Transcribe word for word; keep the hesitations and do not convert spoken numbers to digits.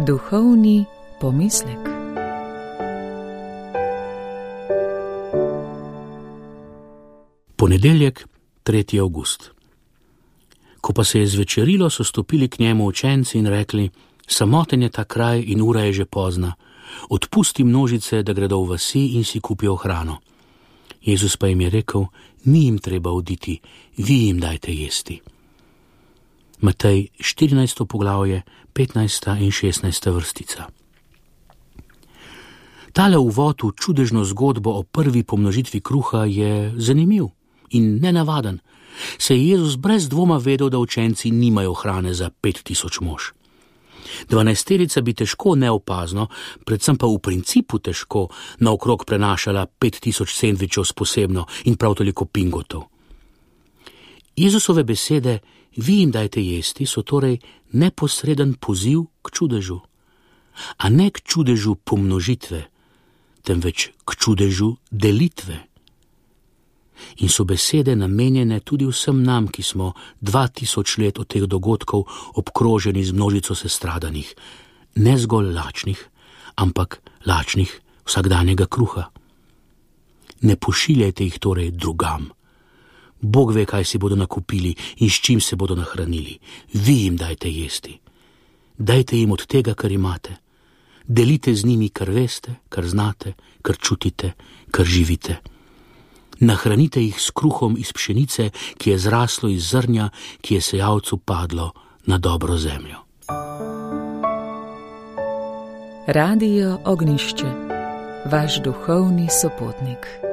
Duhovni pomislek. Ponedeljek, tretji avgust. Ko pa se je zvečerilo, so stopili k njemu učenci in rekli: samoten je ta kraj in ura je že pozna. Odpusti množice, da gredo v vasi in si kupijo hrano. Jezus pa jim je rekel: ni jim treba oditi, vi jim dajte jesti. Matej štirinajsto poglavje, petnajsta in šestnajsta vrstica. Tale uvod v čudežno zgodbo o prvi pomnožitvi kruha je zanimiv in nenavaden, saj je Jezus brez dvoma vedel, da učenci nimajo hrane za pet tisoč mož. Dvanajsterica bi težko neopazno, predvsem pa v principu težko, naokrog prenašala pet tisoč sendvičev s posebno in prav toliko pingotov. Jezusove besede: vi jim dajte jesti, so torej neposreden poziv k čudežu, a ne k čudežu pomnožitve, temveč k čudežu delitve. In so besede namenjene tudi vsem nam, ki smo dva tisoč let od teh dogodkov obkroženi z množico sestradanih, ne zgolj lačnih, ampak lačnih vsakdanjega kruha. Ne pošiljajte jih torej drugam. Bog ve, kaj si bodo nakupili in s čim se bodo nahranili. Vi jim dajte jesti. Dajte jim od tega, kar imate. Delite z njimi, kar veste, kar znate, kar čutite, kar živite. Nahranite jih s kruhom iz pšenice, ki je zraslo iz zrnja, ki je sejalcu padlo na dobro zemljo. Radio Ognjišče, vaš duhovni sopotnik.